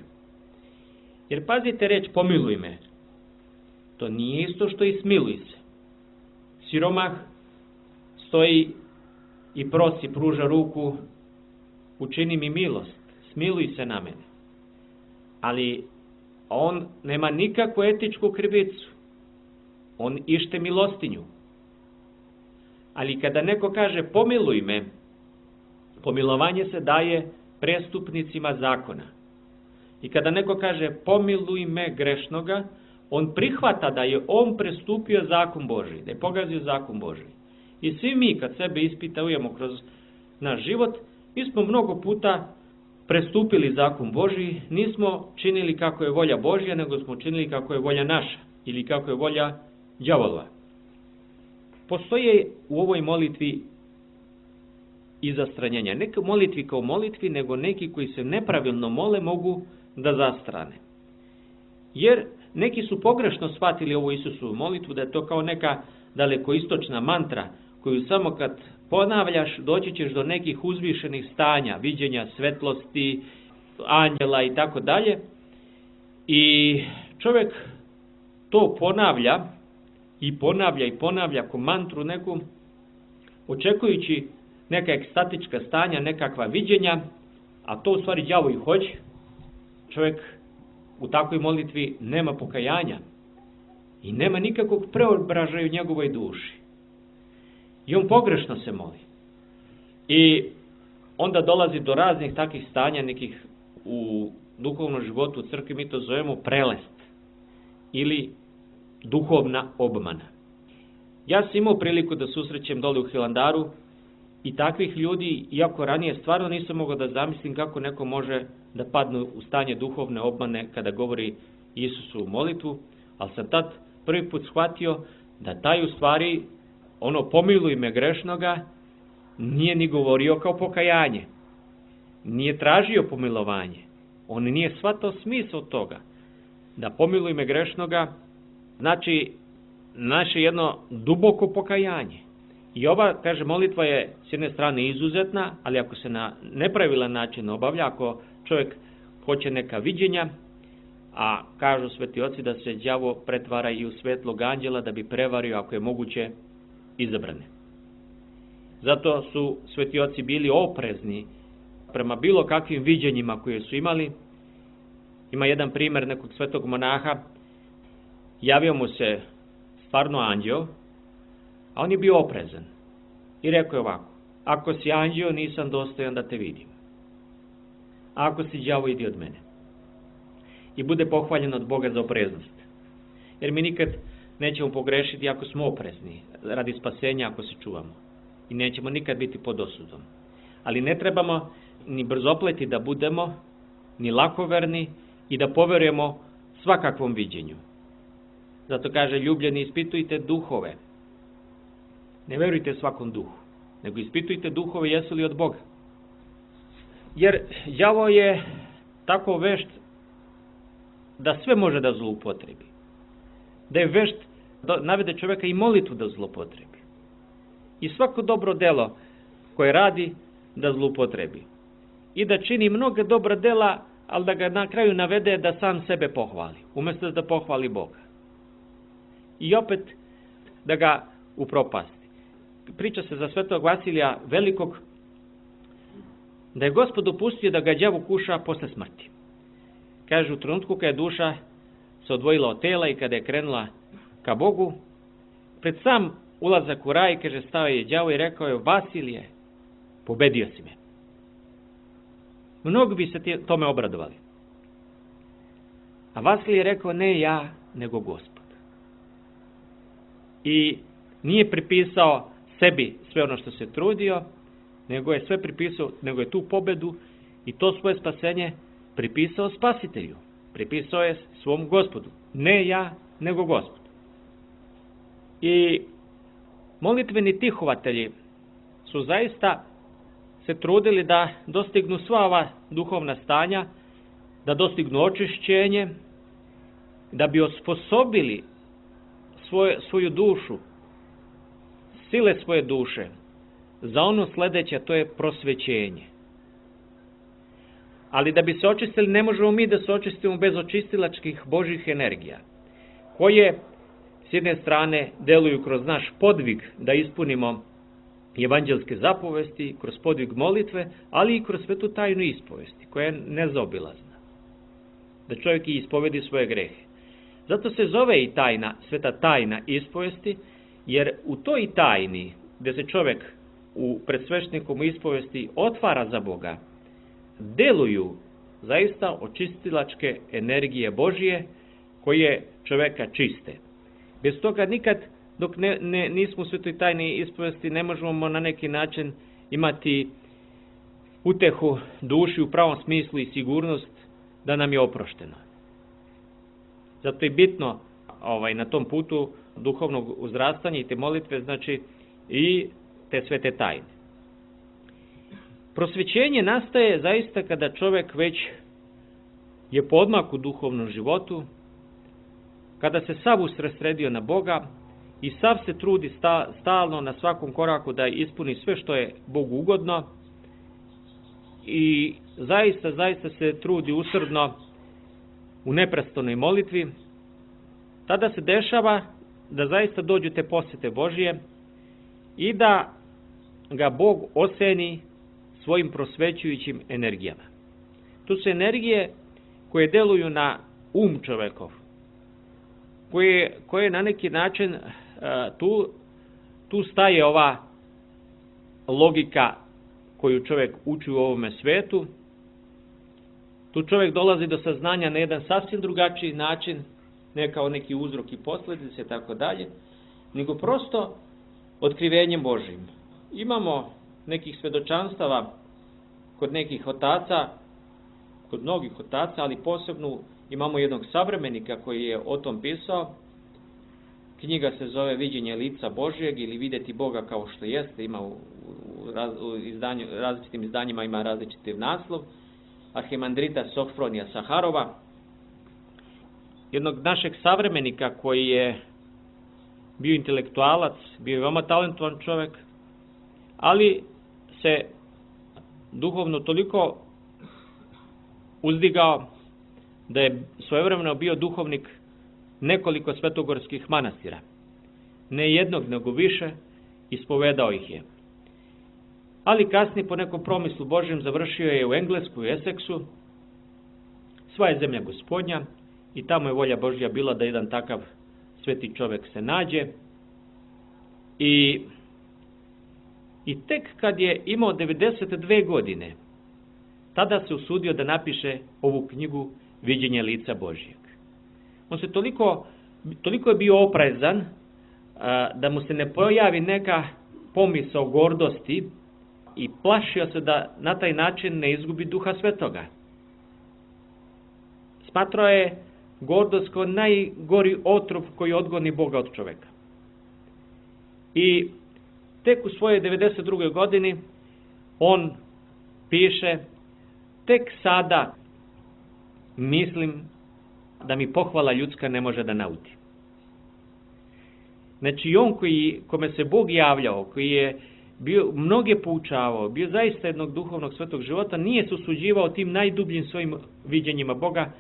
Jer pazite reč pomiluj me. To nije isto što i smiluj se. Siromah stoji i prosi, pruža ruku, učini mi milost, smiluj se na mene. Ali on nema nikakvu etičku krivicu. On ište milostinju. Ali kada neko kaže pomiluj me, pomilovanje se daje prestupnicima zakona. I kada neko kaže pomiluj me grešnoga, on prihvata da je on prestupio zakon Božji, da je pogazio zakon Božji. I svi mi kad sebe ispitujemo kroz naš život, mi smo mnogo puta prestupili zakon Božji, nismo činili kako je volja Božja, nego smo činili kako je volja naša ili kako je volja đavolova. Postoje u ovoj molitvi i zastranjenja. Ne molitvi kao molitvi, nego neki koji se nepravilno mole mogu da zastrane. Jer neki su pogrešno shvatili ovu Isusovu molitvu, da je to kao neka dalekoistočna mantra, koju samo kad ponavljaš, doći ćeš do nekih uzvišenih stanja, viđenja svetlosti, anđela i tako dalje. I čovjek to ponavlja ko mantru neku, očekujući neka ekstatička stanja, nekakva viđenja, a to u stvari đavo i hoće. Čovjek u takvoj molitvi nema pokajanja i nema nikakvog preobražaja u njegovoj duši. I on pogrešno se moli. I onda dolazi do raznih takvih stanja, nekih u duhovnom životu u crkvi mi to zovemo prelest ili duhovna obmana. Ja sam imao priliku da susrećem dole u Hilandaru i takvih ljudi, iako ranije stvarno nisam mogao da zamislim kako neko može da padne u stanje duhovne obmane kada govori Isusu u molitvu, ali sam tad prvi put shvatio da taj u stvari, pomiluj me grešnoga, nije ni govorio kao pokajanje, nije tražio pomilovanje, on nije shvatao smisao toga. Da pomiluj me grešnoga znači naše jedno duboko pokajanje. I ova, kaže, molitva je s jedne strane izuzetna, ali ako se na nepravilan način obavlja, ako čovjek hoće neka viđenja, a kažu sveti oci da se đavo pretvara i u svetlog anđela da bi prevario, ako je moguće, izabrane. Zato su sveti oci bili oprezni prema bilo kakvim viđenjima koje su imali. Ima jedan primjer nekog svetog monaha, javio mu se stvarno anđeo, a on je bio oprezan. I rekao je ovako: ako si anđeo, nisam dostojan da te vidim. A ako si đavo, idi od mene. I bude pohvaljen od Boga za opreznost. Jer mi nikad nećemo pogrešiti ako smo oprezni, radi spasenja ako se čuvamo. I nećemo nikad biti pod osudom. Ali ne trebamo ni brzopleti da budemo, ni lakoverni i da poverujemo svakakvom viđenju. Zato kaže: ljubljeni, ispitujte duhove. Ne verujte svakom duhu, nego ispitujte duhove jesu li od Boga. Jer đavo je tako vešt da sve može da zloupotrebi. Da je vešt da navede čovjeka i molitvu da zloupotrebi. I svako dobro delo koje radi da zloupotrebi. I da čini mnoge dobra dela, ali da ga na kraju navede da sam sebe pohvali, umjesto da pohvali Boga. I opet da ga upropasti. Priča se za svetog Vasilija Velikog da je Gospod dopustio da ga đavo kuša posle smrti. Kaže, u trenutku kada je duša se odvojila od tela i kada je krenula ka Bogu, pred sam ulazak u raj, kaže, stao je đavo i rekao je: Vasilije, pobedio si me. Mnogi bi se tome obradovali. A Vasilije je rekao: ne ja, nego Gospod. I nije pripisao sebi sve ono što se trudio, nego je sve pripisao, nego je tu pobedu i to svoje spasenje pripisao Spasitelju. Pripisao je svom Gospodu. Ne ja, nego Gospod. I molitveni tihovatelji su zaista se trudili da dostignu sva ova duhovna stanja, da dostignu očišćenje, da bi osposobili svoju dušu, sile svoje duše, za ono sljedeće, to je prosvećenje. Ali da bi se očistili, ne možemo mi da se očistimo bez očistilačkih Božjih energija, koje s jedne strane deluju kroz naš podvig da ispunimo evanđelske zapovesti, kroz podvig molitve, ali i kroz svetu tajnu ispovesti, koja je nezaobilazna. Da čovjek i ispovedi svoje grehe. Zato se zove i tajna, sveta tajna ispovesti, jer u toj tajni, gdje se čovjek u predsveštenikom ispovesti otvara za Boga, deluju zaista očistilačke energije Božije koje čovjeka čiste. Bez toga nikad, dok nismo u svetoj tajni ispovesti, ne možemo na neki način imati utehu duši u pravom smislu i sigurnost da nam je oprošteno. Zato je bitno na tom putu duhovnog uzrastanja i te molitve, znači i te svete tajne. Prosvećenje nastaje zaista kada čovjek već je podmak u duhovnom životu, kada se sav usredsredio na Boga i sav se trudi stalno na svakom koraku da ispuni sve što je Bogu ugodno i zaista se trudi usrdno u neprestanoj molitvi, tada se dešava da zaista dođu te posjete Božije i da ga Bog oseni svojim prosvećujućim energijama. Tu su energije koje deluju na čovjekov, koje na neki način tu staje ova logika koju čovjek uči u ovome svetu. Tu čovjek dolazi do saznanja na jedan sasvim drugačiji način ne kao neki uzrok i posljedice, tako dalje, nego prosto otkrivenjem Božjim. Imamo nekih svedočanstava kod nekih otaca, kod mnogih otaca, ali posebno imamo jednog savremenika koji je o tom pisao. Knjiga se zove Viđenje lica Božjeg ili Vidjeti Boga kao što jeste, ima u različitim izdanjima ima različiti naslov. Arhimandrita Sofronija Saharova, jednog našeg savremenika koji je bio intelektualac, bio je veoma talentovan čovjek, ali se duhovno toliko uzdigao da je svojevremeno bio duhovnik nekoliko svetogorskih manastira. Ne jednog, nego više, ispovedao ih je. Ali kasnije po nekom promislu Božjem završio je u Engleskoj, u Essexu. Sva je zemlja Gospodnja i tamo je volja Božja bila da jedan takav sveti čovjek se nađe. I tek kad je imao 92 godine, tada se usudio da napiše ovu knjigu Viđenje lica Božjeg. On se toliko je bio oprezan da mu se ne pojavi neka pomisao gordosti i plašio se da na taj način ne izgubi Duha Svetoga. Smatrao je gordost kao najgori otrov koji odgoni Boga od čovjeka. I tek u svojoj 92. godini on piše: tek sada mislim da mi pohvala ljudska ne može da nauti. Znači on kome se Bog javljao, koji je bio mnoge poučavao, bio zaista jednog duhovnog svetog života, nije se usuđivao tim najdubljim svojim viđenjima Boga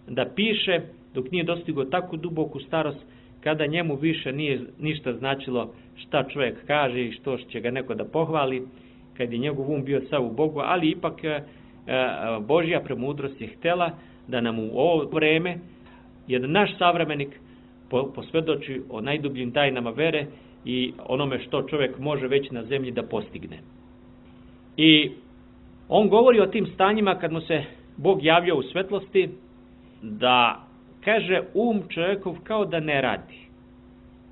da piše dok nije dostigao takvu duboku starost, kada njemu više nije ništa značilo šta čovjek kaže i što će ga neko da pohvali, kad je njegov um bio sav u Bogu, ali ipak Božja premudrost je htjela da nam u ovo vreme jedan naš savremenik posvjedoči o najdubljim tajnama vere i onome što čovjek može već na zemlji da postigne. I on govori o tim stanjima kad mu se Bog javljao u svetlosti, da kaže čovjekov kao da ne radi.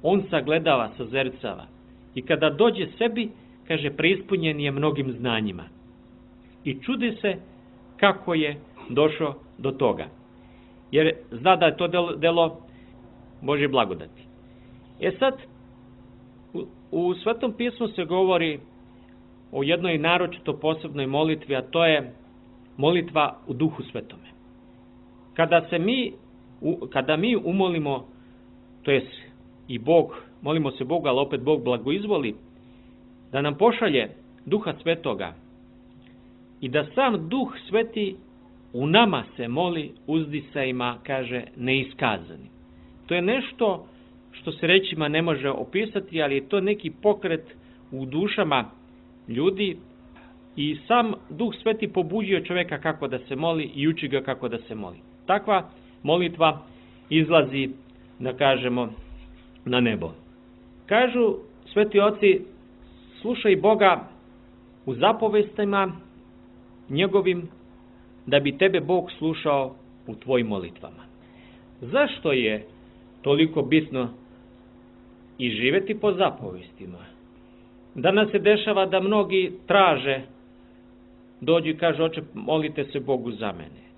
On sagledava, sazercava. I kada dođe sebi, kaže, preispunjen je mnogim znanjima. I čudi se kako je došao do toga. Jer zna da je to delo Božje blagodati. Sad, u Svetom pismu se govori o jednoj naročito posebnoj molitvi, a to je molitva u Duhu Svetome. Kada mi umolimo, to jest i Bog, molimo se Boga, ali opet Bog blagoizvoli, da nam pošalje Duha Svetoga i da sam Duh Sveti u nama se moli uzdisajima, kaže, neiskazani. To je nešto što se rečima ne može opisati, ali je to neki pokret u dušama ljudi i sam Duh Sveti pobuđuje čovjeka kako da se moli i uči ga kako da se moli. Takva molitva izlazi, da kažemo, na nebo. Kažu sveti oci, slušaj Boga u zapovestima njegovim, da bi tebe Bog slušao u tvojim molitvama. Zašto je toliko bitno i živjeti po zapovestima? Danas se dešava da mnogi traže, dođu i kažu, oče, molite se Bogu za mene.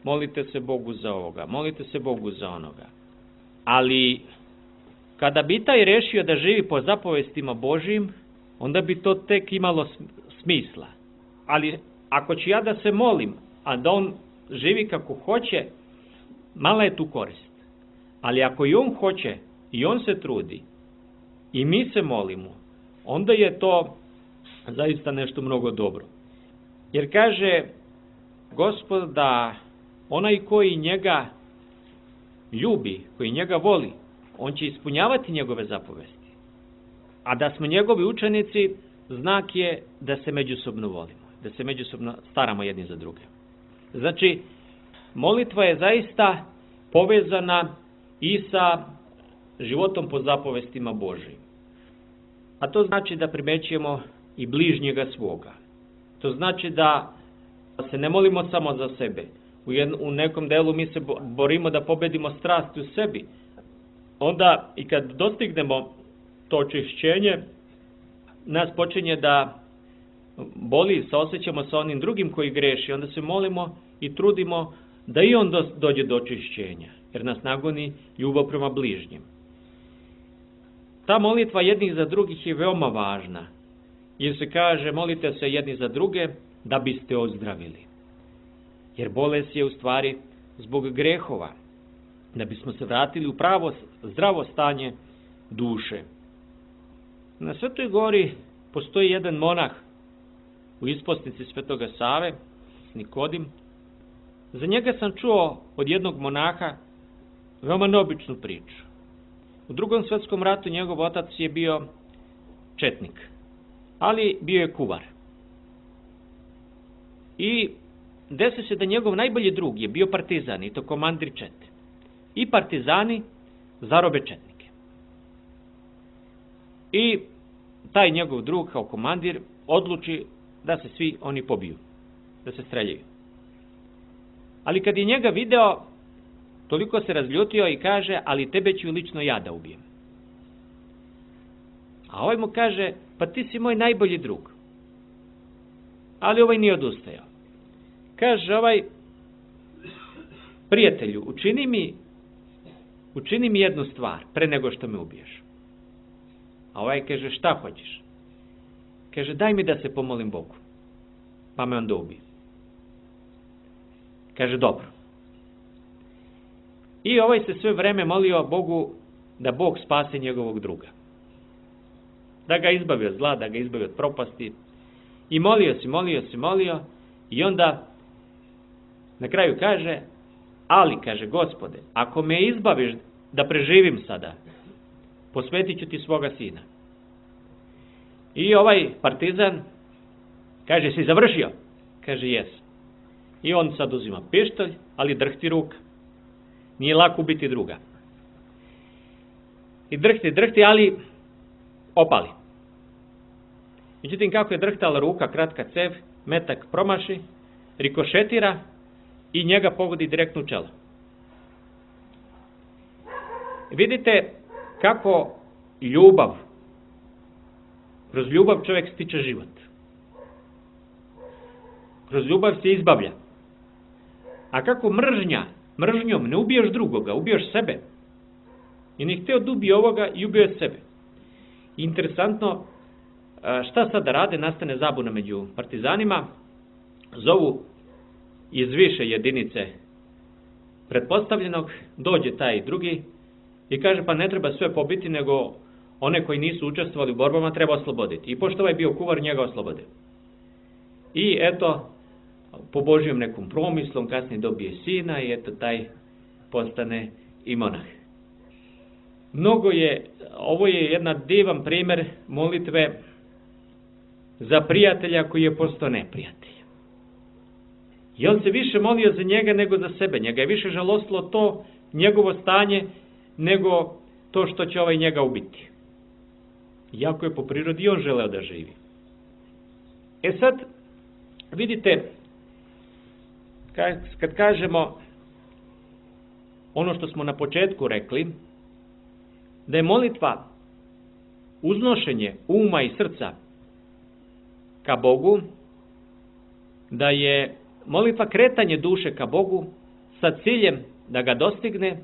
Molite se Bogu za ovoga, molite se Bogu za onoga. Ali kada bi taj rešio da živi po zapovestima Božjim, onda bi to tek imalo smisla. Ali ako ću ja da se molim, a da on živi kako hoće, mala je tu korist. Ali ako i on hoće, i on se trudi, i mi se molimo, onda je to zaista nešto mnogo dobro. Jer kaže Gospod da onaj koji njega ljubi, koji njega voli, on će ispunjavati njegove zapovesti. A da smo njegovi učenici, znak je da se međusobno volimo, da se međusobno staramo jedni za druge. Znači, molitva je zaista povezana i sa životom po zapovestima Božjim. A to znači da primećujemo i bližnjega svoga. To znači da se ne molimo samo za sebe. u nekom delu mi se borimo da pobedimo strasti u sebi. Onda i kad dostignemo to očišćenje, nas počinje da boli, saosjećamo sa onim drugim koji greši, onda se molimo i trudimo da i on dođe do očišćenja, jer nas nagoni ljubav prema bližnjem. Ta molitva jednih za drugih je veoma važna, jer se kaže molite se jedni za druge da biste ozdravili. Jer bolest je u stvari zbog grehova, da bismo se vratili u pravo zdravo stanje duše. Na Svetoj gori postoji jedan monah u isposnici Svetoga Save, Nikodim. Za njega sam čuo od jednog monaha veoma neobičnu priču. U Drugom svetskom ratu njegov otac je bio četnik, ali bio je kuvar. I desi se da njegov najbolji drug je bio partizan, i to komandir čete. I partizani zarobe četnike. I taj njegov drug kao komandir odluči da se svi oni pobiju, da se streljaju. Ali kad je njega video, toliko se razljutio i kaže, ali tebe ću lično ja da ubijem. A ovaj mu kaže, pa ti si moj najbolji drug. Ali ovaj nije odustajao. Kaže ovaj, prijatelju, učini mi jednu stvar pre nego što me ubiješ. A ovaj kaže, šta hoćeš? Kaže, daj mi da se pomolim Bogu, pa me onda ubije. Kaže, dobro. I ovaj se sve vreme molio Bogu da Bog spase njegovog druga. Da ga izbavi od zla, da ga izbavi od propasti. I molio i onda na kraju kaže, ali, kaže, Gospode, ako me izbaviš da preživim sada, posvetit ću ti svoga sina. I ovaj partizan kaže, si završio? Kaže, jes. I on sad uzima pištolj, ali drhti ruka. Nije lako ubiti druga. I drhti, ali opali. Međutim, kako je drhtala ruka, kratka cev, metak promaši, rikošetira i njega pogodi direktno u čelo. Vidite kako kroz ljubav čovjek stiče život. Kroz ljubav se izbavlja. A kako mržnjom ne ubiješ drugoga, ubiješ sebe. I ne hteo da ubije ovoga i ubio je sebe. Interesantno, šta sad da rade, nastane zabuna među partizanima, zovu iz više jedinice pretpostavljenog, dođe taj drugi i kaže, pa ne treba sve pobiti, nego one koji nisu učestvovali u borbama treba osloboditi. I pošto ovaj bio kuvar, njega oslobode. I eto, po Božjom nekom promislom, kasnije dobije sina i eto taj postane i monah. Ovo je jedan divan primjer molitve za prijatelja koji je postao neprijatelj. I on se više molio za njega nego za sebe. Njega je više žalostilo to njegovo stanje nego to što će ovaj njega ubiti. Iako je po prirodi on želeo da živi. E sad, vidite, kad kažemo ono što smo na početku rekli, da je molitva uznošenje uma i srca ka Bogu, da je molitva kretanje duše ka Bogu sa ciljem da ga dostigne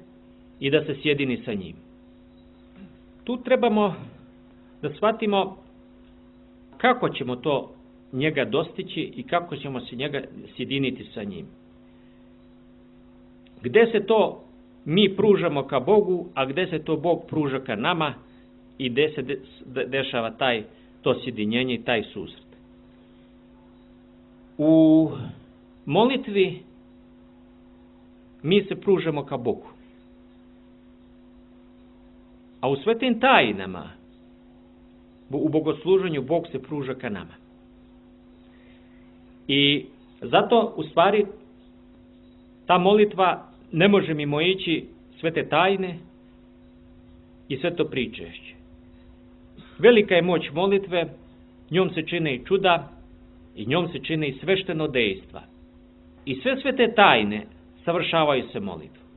i da se sjedini sa njim. Tu trebamo da shvatimo kako ćemo to njega dostići i kako ćemo se njega sjediniti sa njim. Gde se to mi pružamo ka Bogu, a gde se to Bog pruža ka nama i gde se dešava to sjedinjenje i taj susret. U molitvi mi se pružamo ka Bogu. A u svetim tajnama, u bogosluženju, Bog se pruža ka nama. I zato, u stvari, ta molitva ne može mimo ići svete tajne i sveto pričešće. Velika je moć molitve, njom se čine i čuda i njom se čine i svešteno dejstva. i sve te tajne savršavaju se molitvom.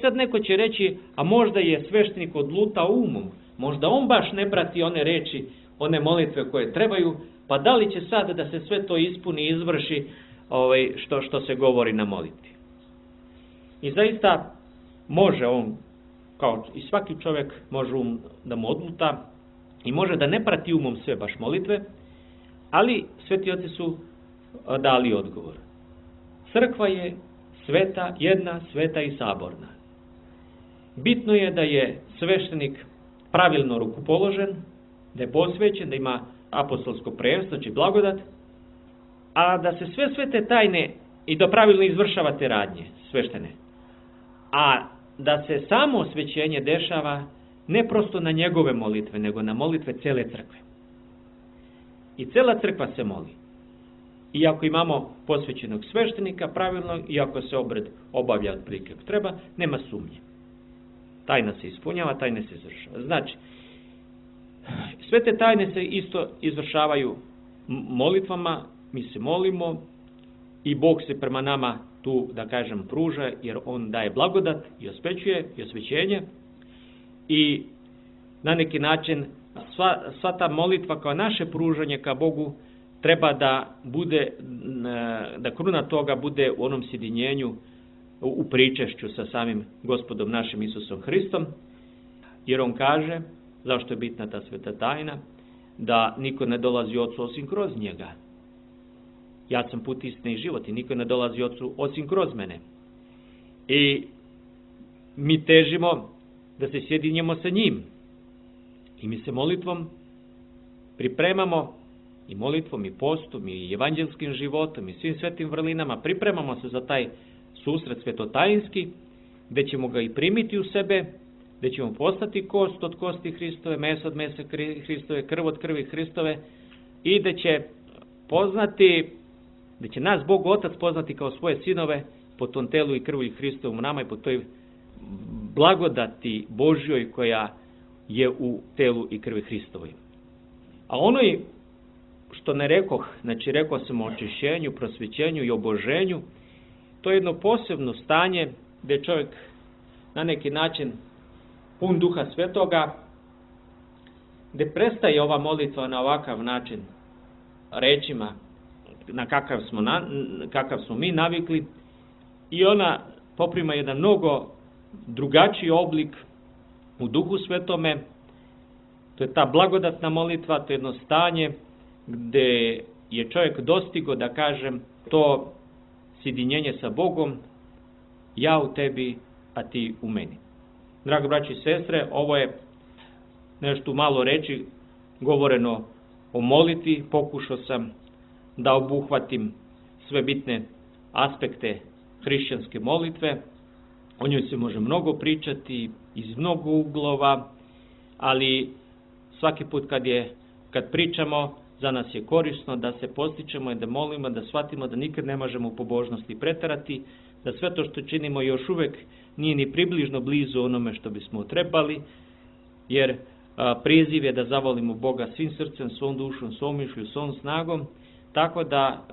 Sad neko će reći, a možda je sveštenik odlutao umom, možda on baš ne prati one reči, one molitve koje trebaju, pa da li će sad da se sve to ispuni i izvrši što se govori na molitvi. I zaista može on, kao i svaki čovjek, može da mu odluta i može da ne prati umom sve baš molitve, ali sveti oci su dali odgovor. Crkva je sveta, jedna, sveta i saborna. Bitno je da je sveštenik pravilno rukopoložen, da je posvećen, da ima apostolsko prvenstvo, znači blagodat, a da se sve te tajne i da pravilno izvršava te radnje sveštene. A da se samo osvećenje dešava ne prosto na njegove molitve, nego na molitve cele crkve. I cela crkva se moli. Iako imamo posvećenog sveštenika pravilno, iako se obred obavlja otprilike kako treba, nema sumnje. Tajna se ispunjava, tajna se izvršava. Znači, sve te tajne se isto izvršavaju molitvama, mi se molimo i Bog se prema nama tu, da kažem, pruža, jer On daje blagodat i osvećuje i osvećenje. I na neki način sva ta molitva kao naše pružanje ka Bogu treba da bude, da kruna toga bude u onom sjedinjenju, u pričešću sa samim Gospodom našim Isusom Hristom, jer On kaže, zašto je bitna ta sveta tajna, da niko ne dolazi Otcu osim kroz njega. Ja sam put, istina i život i niko ne dolazi Otcu osim kroz mene. I mi težimo da se sjedinjemo sa njim. I mi se molitvom pripremamo, i molitvom, i postom, i evanđelskim životom, i svim svetim vrlinama, pripremamo se za taj susret svetotajinski, gde ćemo ga i primiti u sebe, gde ćemo postati kost od kosti Hristove, meso od mesa Hristove, krv od krvi Hristove, i gde će poznati, gde će nas Bog Otac poznati kao svoje sinove po tom telu i krvi Hristovom nama i po toj blagodati Božjoj koja je u telu i krvi Hristovoj. A ono što ne rekoh, znači rekao sam o očišćenju, prosvećenju i oboženju, to je jedno posebno stanje gdje čovjek na neki način pun Duha Svetoga, gdje prestaje ova molitva na ovakav način rečima na kakav smo mi navikli i ona poprima jedan mnogo drugačiji oblik u Duhu Svetome. To je ta blagodatna molitva, to je jedno stanje gdje je čovjek dostigo, da kažem, to sjedinjenje sa Bogom, ja u tebi, a ti u meni. Dragi braći i sestre, ovo je nešto malo reći govoreno o molitvi. Pokušao sam da obuhvatim sve bitne aspekte hrišćanske molitve. O njoj se može mnogo pričati iz mnogo uglova, ali svaki put kad pričamo, za nas je korisno da se postičemo i da molimo, da shvatimo da nikad ne možemo u pobožnosti preterati, da sve to što činimo još uvek nije ni približno blizu onome što bismo trebali, jer priziv je da zavolimo Boga svim srcem, svom dušom, svom mišlju, svom snagom, tako da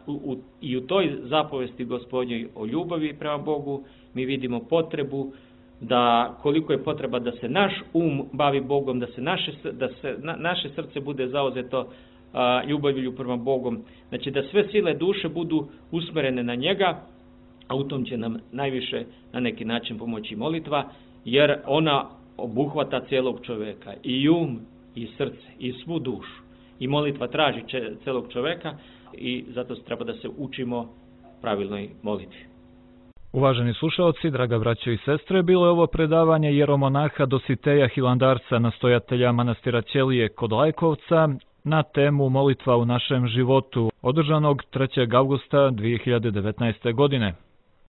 i u toj zapovesti Gospodnjoj o ljubavi prema Bogu mi vidimo potrebu da koliko je potreba da se naš bavi Bogom, da naše srce bude zauzeto ljubavlju prema Bogom, znači da sve sile duše budu usmerene na njega, a u tom će nam najviše na neki način pomoći molitva, jer ona obuhvata cijelog čovjeka, i i srce, i svu dušu. I molitva traži cijelog čovjeka i zato treba da se učimo pravilnoj molitvi. Uvaženi slušalci, draga braćo i sestre, bilo je ovo predavanje jeromonaha Dositeja Hilandarca, nastojatelja manastira Ćelije kod Lajkovca, na temu molitva u našem životu, održanog 3. avgusta 2019. godine.